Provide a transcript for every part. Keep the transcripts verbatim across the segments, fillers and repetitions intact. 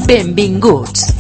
Benvinguts.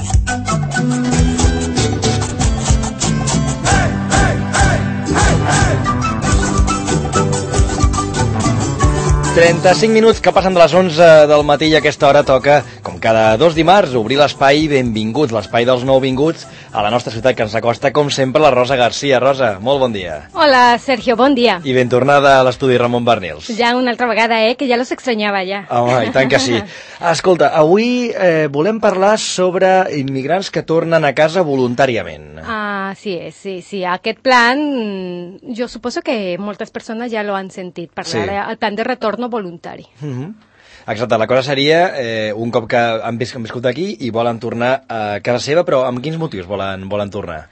trenta-cinc minuts que passen de les onze del matí i a aquesta hora toca, com cada dos dimarts, obrir l'espai Benvinguts, l'espai dels nouvinguts a la nostra ciutat que ens acosta, com sempre, la Rosa Garcia. Rosa, molt bon dia. Hola, Sergio, bon dia. I ben tornada a l'estudi Ramon Barnils. Ja una altra vegada, eh, que ja los extrañava ja. Home, i tant que sí. Escolta, avui eh, volem parlar sobre immigrants que tornen a casa voluntàriament. Ah, sí, sí, sí. Aquest plan, jo suposo que moltes persones ja lo han sentit parlar, sí. El plan de retorno voluntari. Mm-hmm. Exacte, la cosa seria eh, un cop que han, vis han viscut aquí i volen tornar a casa seva, però amb quins motius volen, volen tornar?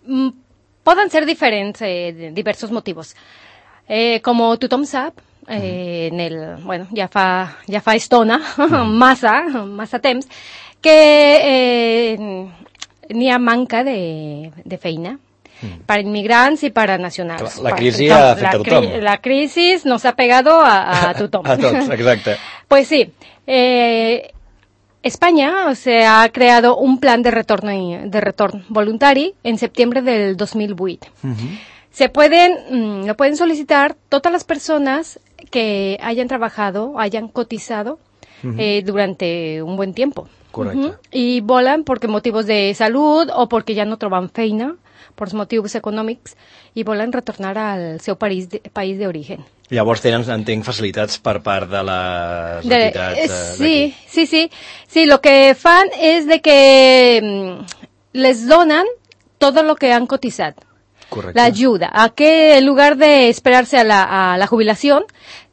Mm, poden ser diferents, eh, diversos motius. Eh, com tothom sap, eh, en el, bueno, ja fa, ja fa estona, massa, massa temps, que eh, n'hi ha manca de, de feina para inmigrants y para nacionales. La crisis ha afectado a tothom. La crisis nos ha pegado a, a tothom. A tots, exacte. Pues sí. Eh, España o sea, ha creado un plan de retorno, de retorno voluntario en septiembre del dos mil vuit. Uh-huh. Se pueden, lo pueden solicitar todas las personas que hayan trabajado, hayan cotizado uh-huh. eh, durante un buen tiempo. Correcte. Uh-huh. Y volan porque motivos de salud o porque ja no troben feina, per motius econòmics, i volen retornar al seu país de, país d'origen. Llavors tenen, entenc, facilitats per part de les de, entitats eh, sí, sí, sí. Sí, lo que fan es de que mm, les donan todo lo que han cotizado. Correcte. La ayuda. A que en lugar de esperarse a la, a la jubilación,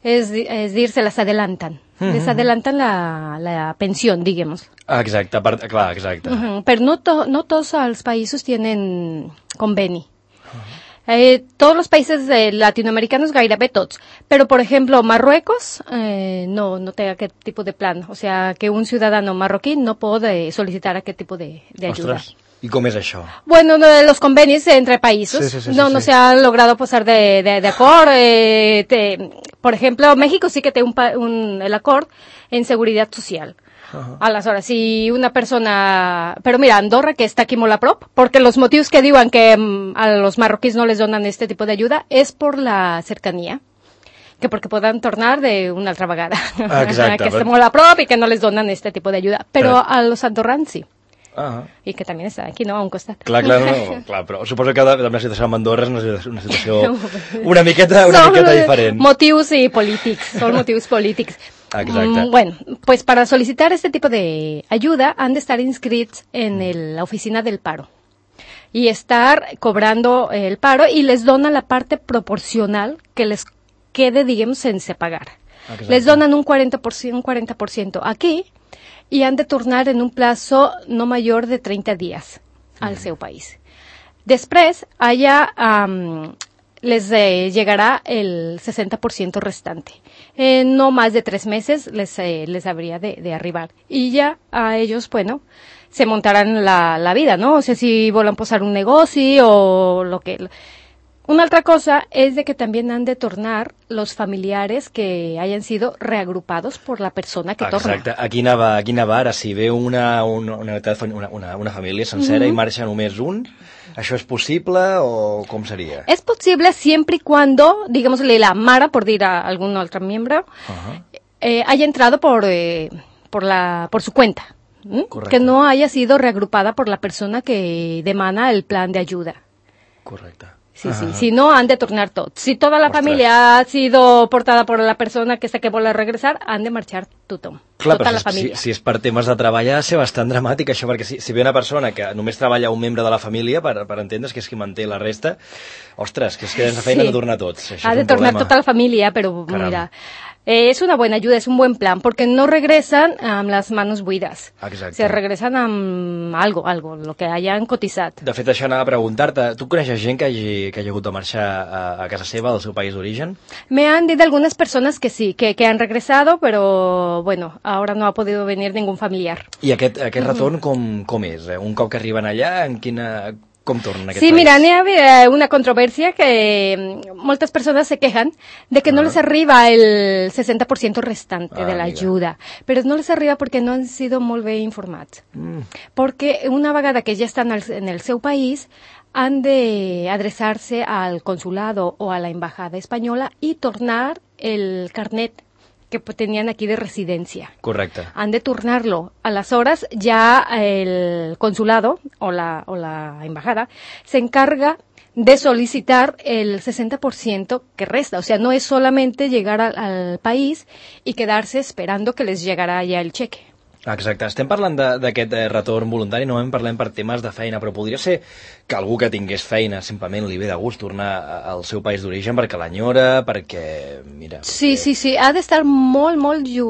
es, es decir, se las adelantan. Uh-huh. Les adelantan la, la pensión, digamos. Ah, exacte, per, clar, exacte. Uh-huh. Pero no, to, no todos los países tienen conveni. Uh-huh. Eh, todos los países eh, latinoamericanos gairebé tots. Pero, por ejemplo, Marruecos eh, no, no té aquest tipus de plan. O sea, que un ciudadano marroquí no puede solicitar aquest tipus de, de ayuda. Ostres. ¿Y cómo es eso? Bueno, los convenios entre países sí, sí, sí, no, sí, no sí. se han logrado posar de, de, de acuerdo. Eh, te, por ejemplo, México sí que tiene un, un, el acuerdo en seguridad social. Uh-huh. Aleshores, si una persona... Pero mira, Andorra, que está aquí molt a prop, porque los motivos que digan que um, a los marroquíes no les donan este tipo de ayuda es por la cercanía. Que porque puedan tornar de una altra vegada. Ah, exacte. que esté molt a prop y que no les donan este tipo de ayuda. Pero uh-huh. a los andorrans sí. Uh-huh. I que també està aquí, no? A un costat. Clar, clar, no, clar, però suposo que la, la situació amb Andorra és una, una situació una miqueta, una Son miqueta diferent. Motivos y polítics, son motivos polítics. Exacte. Mm, bueno, pues para solicitar este tipo de ayuda han de estar inscrits en el, la oficina del paro y estar cobrando el paro y les donan la parte proporcional que les quede, digamos, sense pagar. Exacte. Les donan un cuarenta por ciento, un cuarenta por ciento aquí y han de tornar en un plazo no mayor de treinta días al seu país. Després, allà um, les eh, llegará el sesenta por ciento restante. Eh, no más de tres meses les, eh, les habría de, de arribar. Y ya a ellos, bueno, se montarán la, la vida, ¿no? O sea, si volen posar un negoci o lo que... Una altra cosa es de que también han de tornar los familiares que hayan sido reagrupados por la persona que torna. Exacte. Aquí anava, aquí anava ara, si ve una, una, una, una, una família sencera mm-hmm. i marxa només un, ¿això és possible o com seria? Es posible siempre y cuando, digámosle, la mare, por dir a algún otro miembro, uh-huh. eh, haya entrado por, eh, por, la, por su cuenta. ¿Mm? Que no haya sido reagrupada por la persona que demanda el plan de ayuda. Correcte. Sí, sí, uh-huh. Si no, han de tornar tots. Si toda la Ostres. familia ha sido portada por la persona que sé que vol regresar, han de marxar tothom. Clar, tota però la si, família. Si, si és per temes de treball ha de ser bastant dramàtic això, perquè si, si ve una persona que només treballa un membre de la família, per, per entendre's que és qui manté la resta, ostres, que és que sense feina sí. de tornar tots. Això ha és de un tornar problema. tota la família, però Caram. mira... Eh, es una buena ayuda, es un buen plan, porque no regresan amb um, las manos buidas. Exacte. Se regresan amb algo, algo, lo que hayan cotizat. De fet, això anava a preguntar-te, tu coneixes gent que hagi, que hagi hagut de marxar a, a casa seva, del seu país d'origen? Me han dicho algunas personas que sí, que, que han regresado, pero bueno, ahora no ha podido venir ningún familiar. I aquest, aquest retorn com, com és? Un cop que arriben allà, en quina... com tornen a aquest sí, país? Sí, mira, n'hi ha una controvèrsia que moltes persones se quejan de que uh-huh. no les arriba el sesenta por ciento restante ah, de l'ajuda, però no les arriba perquè no han sido molt bé informats. Mm. Perquè una vegada que ja estan en el seu país, han de adreçar-se al consulado o a la embajada espanyola i tornar el carnet que tenien aquí de residència. Correcte. Han de tornar-lo. Aleshores, ja el consulado o la, o la embajada se encarga de solicitar el sesenta por ciento que resta. O sea, no es solamente llegar al, al país y quedarse esperando que les llegará ya el cheque. Exacte. Estem parlant d'aquest eh, retorn voluntari, no en parlem per temes de feina, però podria ser que algú que tingués feina simplement li ve de gust tornar al seu país d'origen perquè l'enyora, perquè... mira. Sí, perquè... sí, sí. Ha d'estar molt, molt ju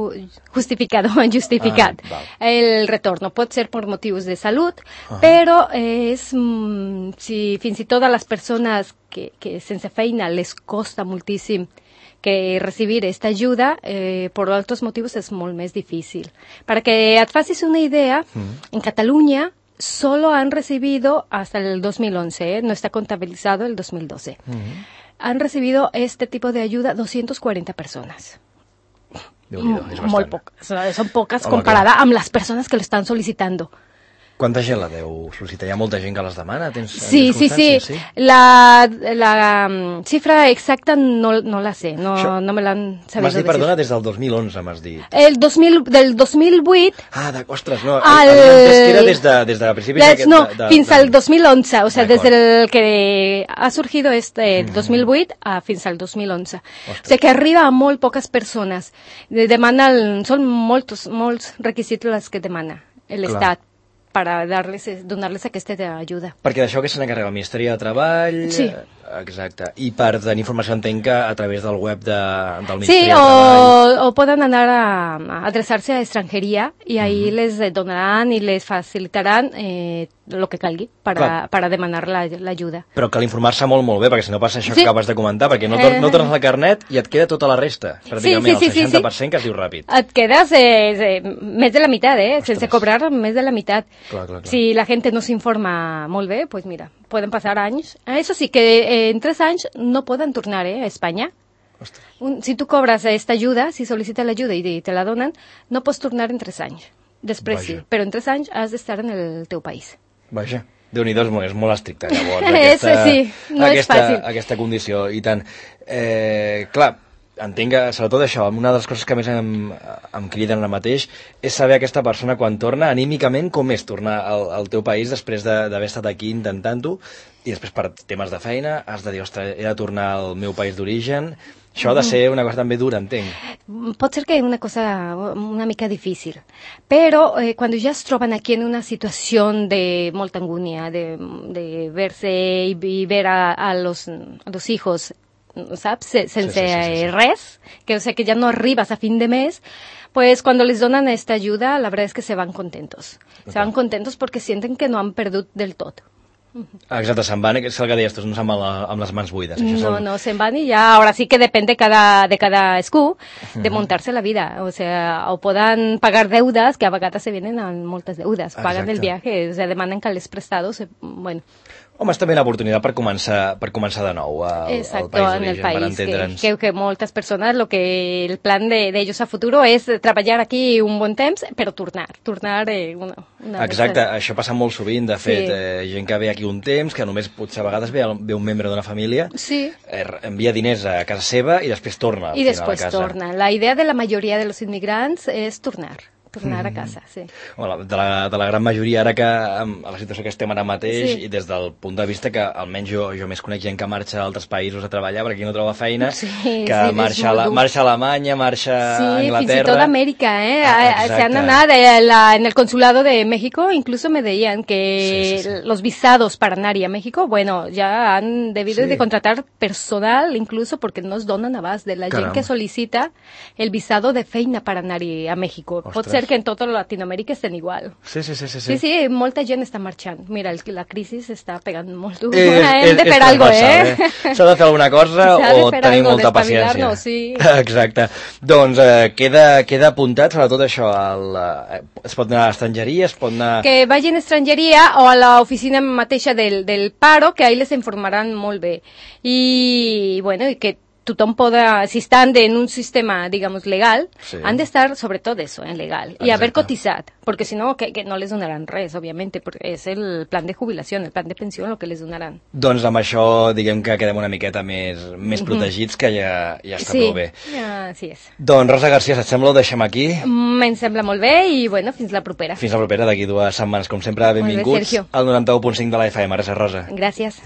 justificado, justificat. Ah, el retorn pot ser per motius de salut, uh -huh. però és, mm, si fins i tot a les persones que, que sense feina les costa moltíssim que recibir esta ayuda, eh, por otros motivos es molt més difícil. Para que et facis una idea, mm. en Cataluña solo han recibido, hasta el dos mil once, eh, no está contabilizado el dos mil doce, mm. han recibido este tipo de ayuda doscientas cuarenta personas. Déu-n'hi-do, és bastant. Molt poques, són poques comparada amb les persones que l'estan sol·licitando. Quanta gent la deu sol·licitar? Hi ha molta gent que les demana? Tens sí, sí, sí, sí. La, la um, xifra exacta no, no la sé, no, Això, no me l'han sabido m'has dit, decir. perdona, des del dos mil onze m'has dit. El dos mil, del dos mil vuit... Ah, de, ostres, no, el, havia entès que era des de, des de principis d'aquest... No, de, de, fins de... al dos mil once, o sea, des del que ha surgido este mm. dos mil vuit a fins al dos mil onze. Ostres. O sea, que arriba a molt poques persones. Demanen, són molts, molts requisits els que demana l'Estat para darles, donar-les aquesta ajuda. Perquè d'això que se n'encarrega el Ministeri de Treball... Sí. Exacte. I per tenir informació entenc que a través del web de, del Ministeri sí, de Treball... Sí, o, o poden anar a, a adreçar-se a extranjeria i ahí mm. les donaran i les facilitaran eh, lo que calgui para, para demanar l'ajuda. La, Però cal informar-se molt, molt bé, perquè si no passa això sí. que acabes de comentar, perquè no, tor no tornes al carnet i et queda tota la resta, pràcticament, sí, sí, sí, el seixanta per cent sí, sí. que es diu ràpid. Et quedes eh, eh, més de la meitat, eh? Ostres. Sense cobrar més de la meitat. Clar, clar, clar. Si la gent no s'informa molt bé, pues mira, poden passar anys. Eso sí, que eh, en tres anys no poden tornar eh, a Espanya. Un, si tu cobres esta ajuda, si sol·licites l'ajuda i te la donen, no pots tornar en tres anys. Després Vaja. sí, però en tres anys has d'estar en el teu país. Vaja. Déu-n'hi-do, és molt estricte, llavors, aquesta, sí, no aquesta, és fàcil. aquesta condició. I tant. Eh, clar, entenc que, sobretot això, una de les coses que més em, em criden ara mateix és saber aquesta persona quan torna, anímicament, com és tornar al, al teu país després d'haver de, estat aquí intentant-ho, i després per temes de feina has de dir, ostres, he de tornar al meu país d'origen. Això ha de ser una cosa també dura, entenc. Pot ser que és una cosa una mica difícil, però eh, quan ja es troben aquí en una situació de molta angúnia, de, de verse i, i ver a, a, los, a los hijos, ¿sabes? Sense sí, sí, sí, sí. res, que o sea que ya no arribas a fin de mes, pues cuando les donan esta ayuda, la verdad es que se van contentos. Okay. Se van contentos porque sienten que no han perdut del tot. Exacte, se'n van, és el que deies, no se'n van amb les mans buides. No, són... no, se'n van i ja, ahora sí que depende cada, de cada escú de montarse la vida, o sea, o poden pagar deudas, que a vegades se vienen amb moltes deudes, pagan Exacte. el viaje, o sea, demanen calés prestados, bueno. Home, és també una oportunitat per començar, per començar de nou al, Exacto, al país en el d'origen, país, per entendre'ns. Que, que, que moltes persones, lo que el plan de, de ellos a futuro és treballar aquí un bon temps, però tornar, tornar eh, una, una Exacte, vegada. Això passa molt sovint, de fet, sí. eh, gent que ve aquí un temps, que només potser a vegades ve, ve un membre d'una família, sí. eh, envia diners a casa seva i després torna al I final després a casa. torna. La idea de la majoria de los inmigrants és tornar. tornar a casa, sí. Bueno, de, la, de la gran majoria, ara que a la situació que estem ara mateix, sí. i des del punt de vista que almenys jo, jo més conec gent que marxa a altres països a treballar perquè aquí no troba feina, sí, que sí, marxa, a la, marxa a Alemanya, marxa sí, a Anglaterra... Sí, fins i tot a Amèrica, eh? Ah, se han anat eh, la, en el consulado de México, incluso me decían que sí, sí, sí. los visados para anar a México, bueno, ya han debido sí. de contratar personal, incluso porque no es donen abast de la Caramba. gent que solicita el visado de feina para anar a México. Ostres. Pot ser ser que en tota Latinoamèrica estem igual. Sí, sí, sí. Sí, sí, sí molta gent està marxant. Mira, el, la crisi està pegant molt dur. És, Hem de fer alguna cosa, eh? eh? S'ha de fer alguna cosa o tenir algo, molta paciència. Sí. Exacte. Doncs eh, queda, queda apuntat, sobretot això, el, eh, es pot anar a estrangeria, es pot anar... Que vagin a estrangeria o a l'oficina mateixa del, del paro, que ahí les informaran molt bé. I, bueno, i que tothom poda, si estan en un sistema, digamos, legal, sí. han de estar, sobretot eso, en legal, Exacte. y haber cotizat, porque si no, que, que no les donaran res, obviamente, porque és el plan de jubilació, el plan de pensió, el que les donaran. Doncs amb això, diguem que quedem una miqueta més, més protegits, que ja, ja està sí, prou bé. Ja, sí és. Doncs Rosa García, si et sembla, ho deixem aquí. Me'n sembla molt bé i, bueno, fins la propera. Fins la propera, d'aquí dues setmanes. Com sempre, benvinguts bé, al noranta-u punt cinc de la F M. Gràcies, Rosa. Gràcies.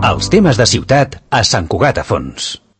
Els temes de ciutat a Sant Cugat a Fons.